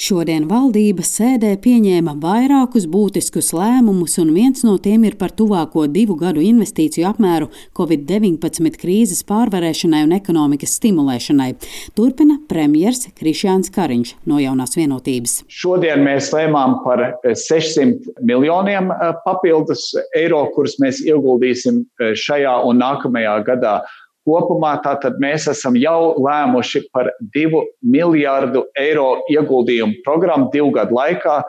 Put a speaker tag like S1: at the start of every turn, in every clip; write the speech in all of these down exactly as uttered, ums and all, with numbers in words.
S1: Šodien valdība sēdē pieņēma vairākus būtiskus lēmumus, un viens no tiem ir par tuvāko divu gadu investīciju apmēru covid deviņpadsmit krīzes pārvarēšanai un ekonomikas stimulēšanai. Turpina premjers Krišjāns Kariņš no Jaunās Vienotības.
S2: Šodien mēs lēmām par sešsimt miljoniem papildus eiro, kurus mēs ieguldīsim šajā un nākamajā gadā. Kopumā tātad mēs esam jau lēmuši par divu miljārdu eiro ieguldījumu programmu divu gadu laikā.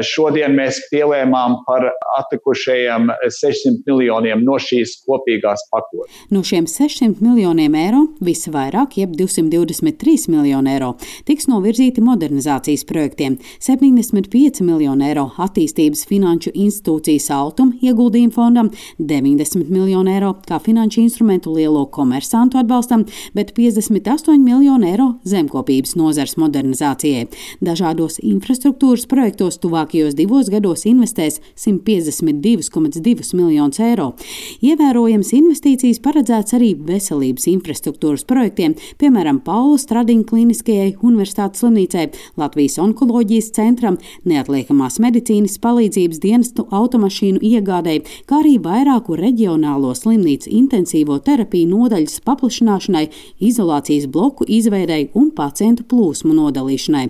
S2: Šodien mēs pielēmām par atlikušajiem sešsimt miljoniem no šīs kopīgās pakotnes.
S1: No šiem sešsimt miljoniem eiro visvairāk, jeb divsimt divdesmit trīs miljoni eiro, tiks novirzīti modernizācijas projektiem, septiņdesmit pieci miljoni eiro attīstības finanšu institūcijas Altum ieguldījumu fondam, deviņdesmit miljoni eiro kā finanšu instrumentu lielo komersantu atbalstam, bet piecdesmit astoņi miljoni eiro zemkopības nozares modernizācijai. Dažādos infrastruktūras projektos tuvākajos divos gados investēs simt piecdesmit divi komats divi miljonus eiro. Ievērojams investīcijas paredzēts arī veselības infrastruktūras projektiem, piemēram, Paula Stradiņa kliniskajai universitātes slimnīcai, Latvijas onkoloģijas centram, neatliekamās medicīnas palīdzības dienestu automašīnu iegādēji, kā arī vairāku reģionālo slimnīcu intensīvo terapiju nodaļas paplašināšanai, izolācijas bloku izveidei un pacientu plūsmu nodalīšanai.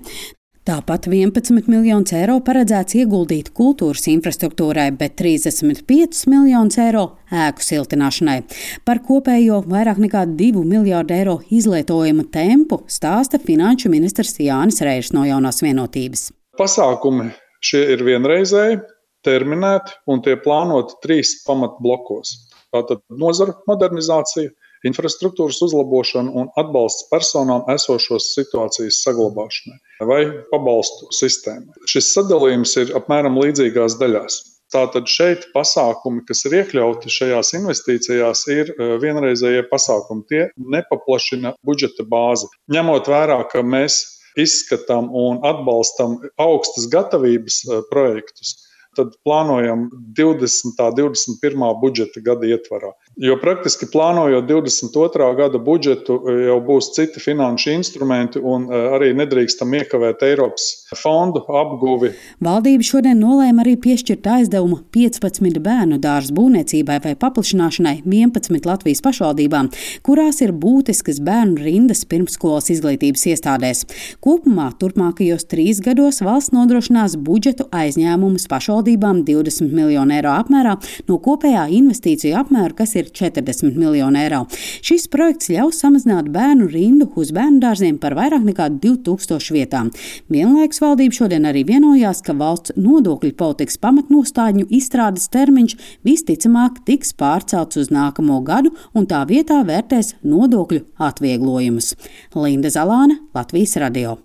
S1: Tāpat vienpadsmit miljonus eiro paredzēts ieguldīt kultūras infrastruktūrai, bet trīsdesmit pieci miljonus eiro ēku siltināšanai. Par kopējo vairāk nekā divu miljārdu eiro izlietojuma tempu stāsta finanšu ministrs Jānis Reišs no Jaunās Vienotības.
S3: Pasākumi šie ir vienreizēji, terminēti un tie plānoti trīs pamatblokos. Tātad nozara modernizācija, infrastruktūras uzlabošana un atbalsts personām esošos situācijas saglabāšanai vai pabalstu sistēmai. Šis sadalījums ir apmēram līdzīgās daļās. Tātad šeit pasākumi, kas ir iekļauti šajās investīcijās, ir vienreizējie pasākumi. Tie nepaplašina budžeta bāzi. Ņemot vērā, ka mēs izskatām un atbalstam augstas gatavības projektus, tad plānojam divdesmitā, divdesmit pirmā budžeta gada ietvarā. Jo praktiski plānojot divdesmit otrā gada budžetu jau būs citi finanšu instrumenti un arī nedrīkstam iekavēt Eiropas fondu apguvi.
S1: Valdība šodien nolēma arī piešķirt aizdevumu piecpadsmit bērnu dārzu būvniecībai vai paplašināšanai vienpadsmit Latvijas pašvaldībām, kurās ir būtiskas bērnu rindas pirmsskolas izglītības iestādēs. Kopumā turpmākajos trīs gados valsts nodrošinās budžetu aizņēmumus pašvaldībām divdesmit miljonu eiro apmērā no kopējā investīciju apmēra, kas ir četrdesmit miljoni eiro. Šis projekts ļaus samazināt bērnu rindu uz bērnu dārziem par vairāk nekā divu tūkstošu vietām. Vienlaikus valdība šodien arī vienojās, ka valsts nodokļu politikas pamatnostādņu izstrādes termiņš visticamāk tiks pārcelts uz nākamo gadu un tā vietā vērtēs nodokļu atvieglojumus. Linda Zalāne, Latvijas radio.